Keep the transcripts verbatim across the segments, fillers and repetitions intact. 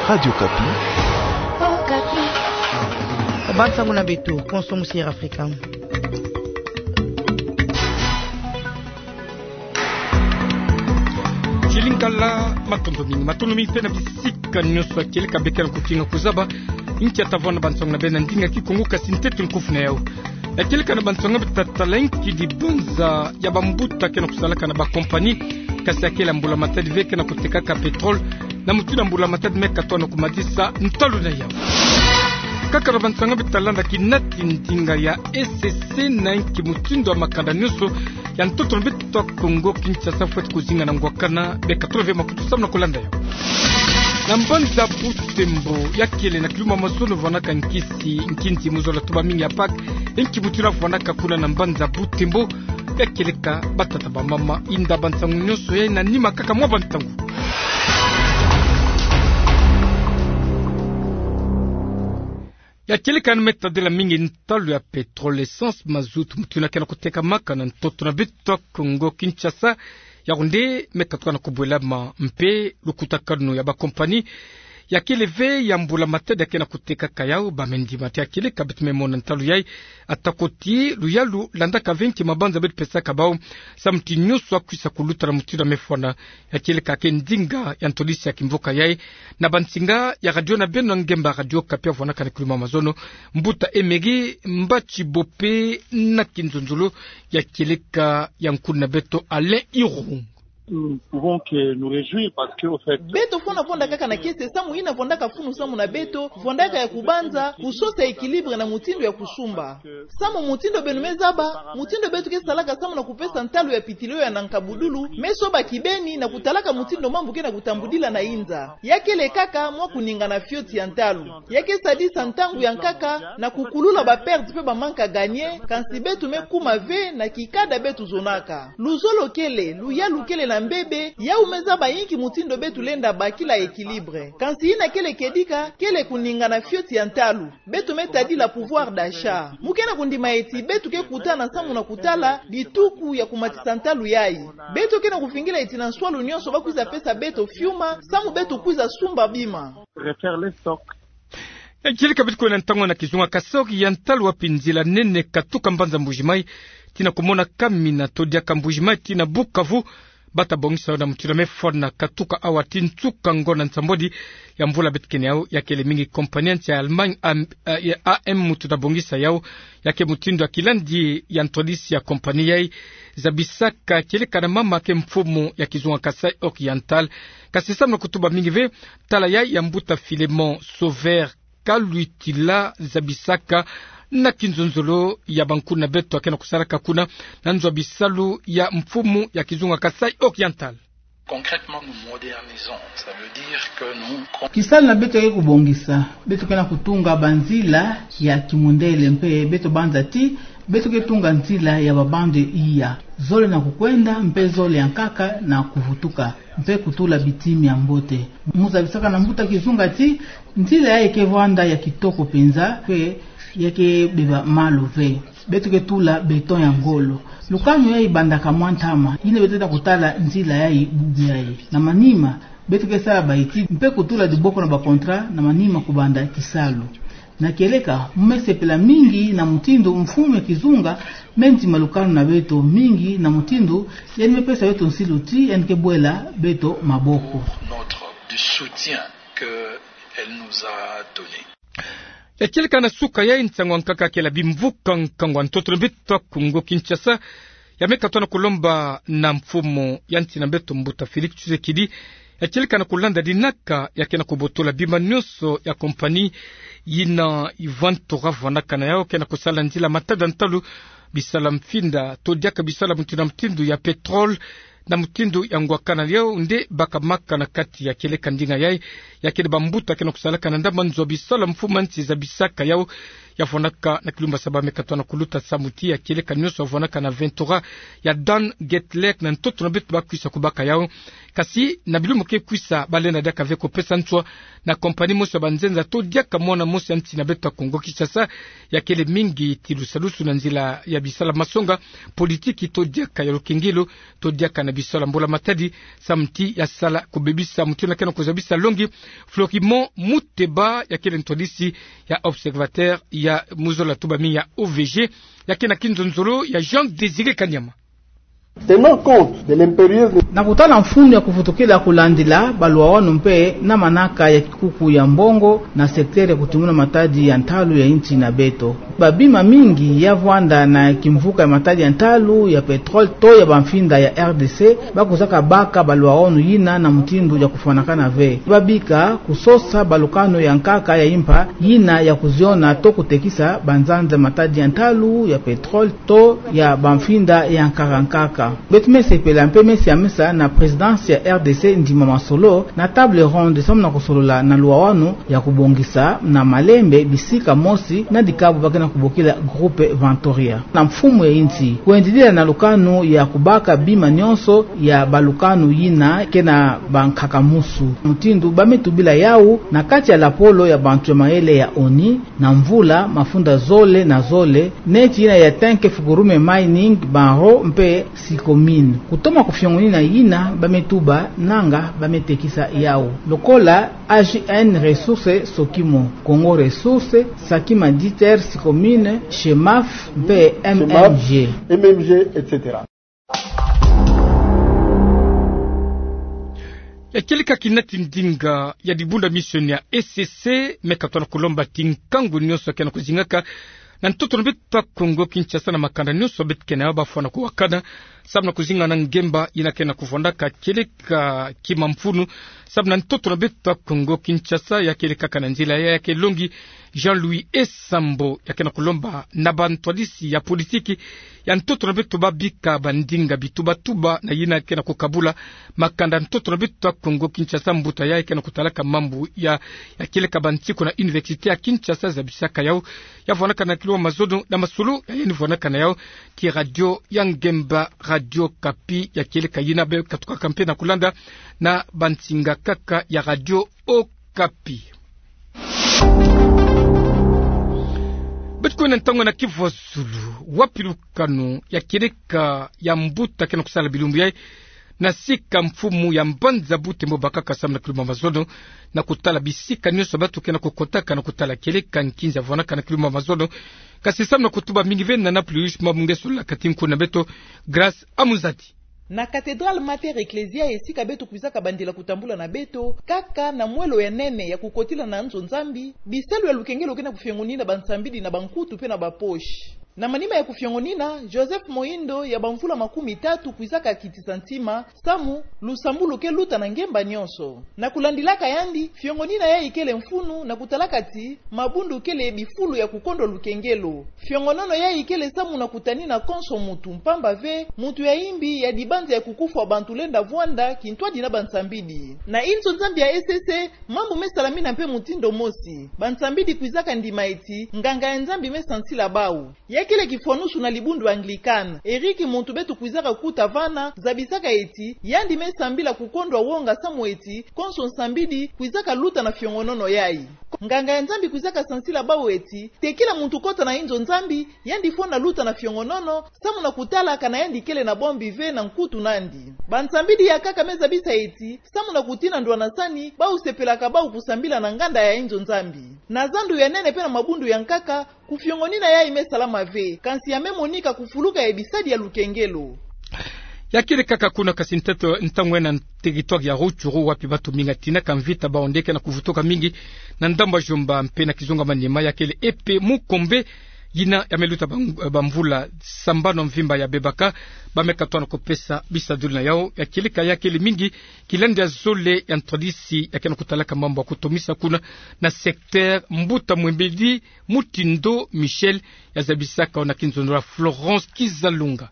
Radio Okapi. Ba nsangu na beto, konso mu Sierra Africa. Chilinkala, matondo mingi, matondo mingi mpe na bisika nyonso ya kieleka beno kena kukinga kuzaba. Nkia tavona ba nsangu na beno na ndinga Kikongo, kasi ntete nkufi na yau. Ya kieleka na ba nsangu beto tatala nki dibanza ya bambuta kena kusalaka na ba compagnie, kasi ya kele mbula-matadi ve kena kutekaka pétrole, na mutindu mbula-matadi me katono kumadisa ntalu na yau. Kaka na ba nsangu beto talanda kinati ndinga ya E C C na nki mutindu ya makanda nyonso ya ntoto na beto Kongo Kinshasa fweti kuzinga na ngwakana, beno katono ve makutu samu na kulanda yau. Na mbanza Butembo, ya kele na kiluma mazono vandaka nkisi, nkinzi mu zola tuba mingi ya Pâques, nki mutindu vandaka kuna na mbanza Butembo, ya kieleka batata bamama, inda ba nsangu nyonso yai na nima kaka mwa ba ntangu. Ya kieleka ni me tadila mingi ntalu ya pétrole, essence, mazout, mutindu kena kutekamaka na ntoto na beto Kongo Kinshasa, yau nde me katuka na kubwelama mpe lukutakanu ya ba compagnie ya kele ve ya mbula-matadi ya kena kutekaka yau, ba me ndima ti ya kieleka beto me mona ntalu yai, atako ti luyalu landaka ve nki mabanza beto pesaka bau, samu ti nyonso akwisa kuluta na mutindu ya me fwana. Ya kieleka ke ndinga ya ntwadisi ya kimvuka yai, na ba nsinga ya radio na beno ngemba Radio Okapi ya vandaka na kiluma mazono, mbuta Emery Mbatshi Bope na kinzonzolo ya kieleka ya nkulu na beto Alain Irung. Nous ne pouvons que nous réjouir parce que, au fait, beto fwana vonda kaka na kiese samu yina vondaka funu samu na beto, vondaka ya kubanza kusosa équilibre na mutindu ya kusumba. Samu mutindu beno me zaba, mutindu beto ke salaka samu na kupesa ntalu ya pitilio ya na nkabudulu, me soba kibeni na kutalaka mutindu mambu kena kutambudila na inza. Ya kele kaka mwa kuningana fioti ya ntalu. Ya ke sadisa ntangu ya nkaka na kukulula ba perte mpe ba manque à gagner, kansi beto me kuma ve na kikada beto zonaka. Luzolo kele, luyalu kele na mbebe, yau me zaba inki mutindu beto lenda bakila équilibre. Kansi yina kele kedika, kele kuningana fioti ya ntalu. Beto me tadila pouvoir d'achat. Mu kena kundima ti beto ke kutana samu na kutala bituku ya kumatisa ntalu yai. Beto kena kuvingila ti na nswalu nyonso bakwiza pesa beto fiuma, samu beto kwiza sumba bima. Refaire les stocks. Ya kieleka beto kwenda ntangu na kizunga kasai ya ntalu wapi nzila nene katuka mbanza Mbuji-Mayi tii na kumona Kamina to diaka Mbuji-Mayi tii na Bukavu, bata bongisa yau na mutindu ya me fwana katuka awa tii nsuka ngonda nsambwadi ya mvula beto kena yau. Ya kele mingi compagnie ya nsi ya Allemagne, am-, eh, ya A M mutindu ya bongisa yau. Ya ke mutindu ya kilandi ya ntwadisi ya compagnie yai zabisaka kieleka na mama ke mfumu ya kizunga Kasaï Oriental. Kasi samu na kutuba mingi ve, tala yai ya mbuta Philémon Sauveur Kaluitila zabisaka na kinzonzolo ya bankulu na beto kena kusalaka kuna na nzo ya bisalu ya mfumu ya kizunga Kasaï Oriental. Concrètement, nous modernisons. Ça veut dire que nous... Kisalu na beto ke kubongisa, beto kena kutunga banzila ya kimundele mpe beto banza ti beto ke tunga nzila ya ba bande iya, zole na kukwenda mpe zole ya nkaka na kuvutuka, mpe kutula bitimi ya mbote. Mu zabisaka na mbuta kizunga ti nzila yai ke vwanda ya kitoko mpenza, mpe ya ke beba malu ve. Beto ke tula béton ya ngolo. Lukanu yai bandaka mwa ntama, yina beto ta kutala nzila yai bubu yai. Na manima, beto ke sala ba études mpe kutula diboko na ba contrats, na manima kubanda kisalu. Na kieleka, mu me sepela mingi na mutindu mfumu ya kizunga me ndima lukanu na beto mingi, na mutindu yandi me pesa beto nsilu ti yandi ke bwela beto maboko. Notre, du soutien que elle nous a donné. Ya kieleka na suka yai, nsangu ya nkaka kela bimvuka nkangu ya ntoto na beto Kongo Kinshasa ya me katono kulomba na mfumu ya nsi na beto mbuta Félix Tshisekedi, ya kieleka na kulanda dinaka ya kena kubotola bima nyonso ya compagnie yina Ivan Tora vwandaka na yau, kena kusala nzila matadi ya ntalu, bisalu ya mfinda to diaka bisalu ya mutindu na mutindu ya pétrole, na mutindu ya ngwakana. Yau nde bakamaka na kati ya kieleka ndinga yai, ya kele bambuta kena kusalaka na ndambu nzo ya bisalu ya mfumu ya nsi zabisaka yau, ya vwanaka na kilumbu ya saba me katwana kuluta samu ti ya kieleka nyonso ya vwanaka na vingt-trois ya Dan Getlek na ntoto na beto ba kwisa kubaka yau. Kasi na bilumbu ke kwisa, ba lenda diaka ve kupesa nswa na compagnie mosi ya banzenza to diaka mwana mosi ya nsi na beto ya Kongo Kinshasa, ya kele mingi ti lusalusu na nzila ya bisala masonga, politiki to diaka ya lukengelo, to diaka na bisala mbula-matadi, samu ti ya sala kubebisa mutindu na ke na kuzabisa longi. Florimond Muteba, ya kele ntwadisi ya Observateur ya mu zola tubami ya O V G, ya ke na kinzonzolo ya Jean Désiré Kanyama. Tenant compte de l'impérieuse... Na kutala mfunu ya kuvutukila kulandila baluwawanu mpe na manaka ya kikuku ya mbongo na secteur ya kutimuna matadi ya ntalu ya insi na beto, babima mingi ya vwanda na kimvuka ya matadi ya ntalu ya pétrole to ya bamfinda ya R D C, ba kwizaka baka baluwawanu yina na mutindu ya kufwanakana ve. Ba bika kusosa balukanu ya nkaka ya impa yina ya kuziona to kutekisa banzanza matadi ya ntalu ya pétrole to ya bamfinda ya nkaka nkaka. Beto me sepela mpe me siamisa na présidence ya R D C ndima masolo na table ronde samu na kusolola na luwawanu ya kubongisa na malembe bisika mosi na dikabu ba ke na kubokila groupe Ventoria na mfumu ya insi, kwendidila na lukanu ya kubaka bima nyonso ya balukanu yina ke na bankaka musu, mutindu ba me tubila yau na kati ya lapolo ya bantu ya mayele ya ONU na mvula mafunda zole na zole, neti yina ya Tenke Fukurume Mining, Banro mpe Sicomine. Kutoma kufiongonina yina ba me tuba nanga ba me tekisa yau, lokola A G N Ressources Sokimo, Congo Ressources, Sakima Diter, Sicomine, Chemaf mpe M M G. M M G, et cetera. Ya kieleka kina ti ndinga ya dibundu ya mission ya E C C, me katona kulomba ti nkangu nyonso ke na kuzingaka na ntoto na beto ya Kongo Kinshasa na makanda nyonso beto ke na yau, ba fwana kuwakana samu na kuzinga na ngemba yina ke na kuvwandaka kieleka kima mfunu samu na ntoto na beto ya Kongo Kinshasa. Ya kieleka kaka na nzila ya ya ke longi Jean-Louis Esambo, ya ke na kulomba na bantwadisi ya politiki ya ntoto na beto ba bika bandinga bitubatuba na yina ke na kukabula makanda ntoto na beto ya Kongo Kinshasa. Mbuta ya ke na kutalaka mambu ya, ya kieleka bansiku na Université ya Kinshasa zabisaka yau, ya vwanaka na kilumbu ya mazono na masolo ya yandi vwanaka na yau ti radio ya ngemba, Radio Okapi, ya kieleka yina be katukaka mpe na kulanda na bansinga kaka ya Radio Okapi. Beto kwenda ntangu na kivwa zulu, wapi lukanu ya kieleka ya mbuta ke na kusala bilumbu yai na sika mfumu ya mbanza Butembo bakaka samu na kilumbu ya mazono, na kutala bisika nyonso bato ke na kukotaka na kutala kieleka nkinza vwanaka na kilumbu ya mazono. Kasi samu na kutuba mingi ve na na plus, ma mungeso la kati nku na beto, Grâce Amuzati. Na Cathédrale Mater Ecclesiae, esika beto kwizaka bandila kutambula na beto, kaka na mwelo ya nene ya kukotila na nzo Nzambi, bisalu ya lukengelo ke na kufiongonina bansambidi na bankutu mpe na bapoche. Na manima ya kufiongonina, Joseph Mohindo ya bamvula makumi tatu kwizaka kitisa ntima, samu lusambulu ke luta na ngemba nyonso. Na kulandilaka yandi, fiongonina yai kele mfunu na kutalaka ti mabundu kele bifulu ya kukondwa lukengelo. Fiongonono yai kele samu na kutanina konso muntu, mpamba ve muntu ya imbi ya dibanza ya kukufwa bantu lenda vwanda kintwadi na bansambidi. Na inzo Nzambi ya E C C, mambu me salamina mpe mutindu mosi. Bansambidi kwizaka ndima eti nganga ya Nzambi me sansila bau. Ya kele kifwanusu na libundu Anglican. Eric, muntu beto kwizaka kuta vana, zabisaka eti yandi me sambila kukondwa wonga samu eti konso nsambidi kwizaka luta na fiongonono yai. Nganga ya Nzambi kwizaka sansila bau eti tekila muntu kota na inzo Nzambi, yandi fwana luta na fiongonono samu na kutala kana yandi kele na bombi ve na nkutu nandi. Bansambidi ya nkaka me zabisa eti samu na kutina ndwanasani, bau sepelaka bau kusambila na nganda ya inzo Nzambi. Na zandu ya nene mpe na mabundu ya nkaka, kufiongonina yai me salama ve, kansi ya me monika kufuluka ya bisadi ya lukengelo. Ya kele kaka kuna, kasi ntangu, ntangu yai na territoire ya Rutshuru, wapi bato mingi ya tinaka mvita, bau nde ke na kuvutuka mingi na ndambu ya Djomba mpe na Kizunga Maniema, ya kele E P Mukombe, yina ya me luta bam-, bamvula sambanu mvimba ya bebaka, ba me katwana kupesa bisadulu na yau. Ya kieleka ya kele mingi kilandi ya zole ya ntwadisi ya ke na kutalaka mambu ya kutomisa kuna na secteur. Mbuta Mwembedi Mutindo Michel, ya zabisaka yau na kinzonzolo ya Florence Kizalunga.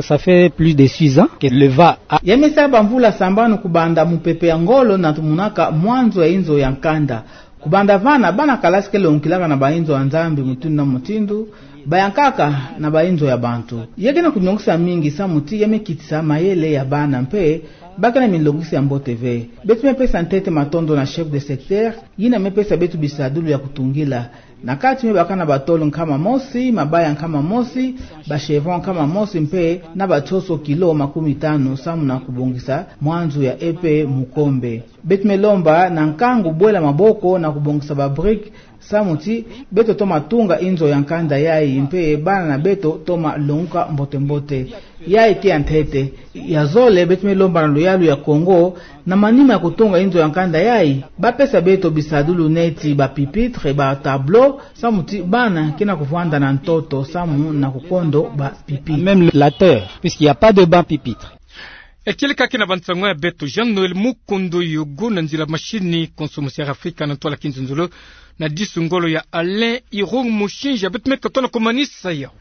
Ça fait plus de six ans que le va a... Ya me sa bamvula sambanu kubanda mupepe ya ngolo na tumunaka mwanzo ya inzo ya nkanda. Kubanda vana, bana kalasi ke longokilaka na bainzo ya Nzambi mutindu na mutindu, bayankaka na bainzo ya bantu. Ya ke na kuniongosa mingi samu ti ya me kitisa mayele ya bana mpe ba ke na milongisi ya mbote ve. Beto me pesa ntete matondo na chef de secteur, yina me pesa beto bisadulu ya kutungila. Na kati me baka na batôle nkama mosi, mabaya nkama mosi, ba chevron nkama mosi mpe na batsotso kilo makumi tanu samu na kubongisa mwanzu ya épée Mukombe. Beto me lomba na nkangu bwela maboko na kubongisa ba briques samu ti beto toma tunga inzo ya nkanda yai mpe bana na beto toma longuka mbote-mbote. Yai ke ya ntete. Ya zole, beto me lomba na luyalu ya Kongo, na manima ya kutunga inzo ya nkanda yai, ba pesa beto bisadulu neti ba pupitres, ba tableaux, samu ti bana ke na kuvwanda na ntoto samu na kukondo ba pupitres. Même la terre, puisqu'il n'y a pas de banc pupitre. Ekele kake na bansango ya beto. Jean Noël Mukundu Yugu na nzila mashini, konso musi Air Africa na ntwala kinzonzolo, na disu ngolo ya Alain Irung Mushinja. Beto me tata na kumanisa yau.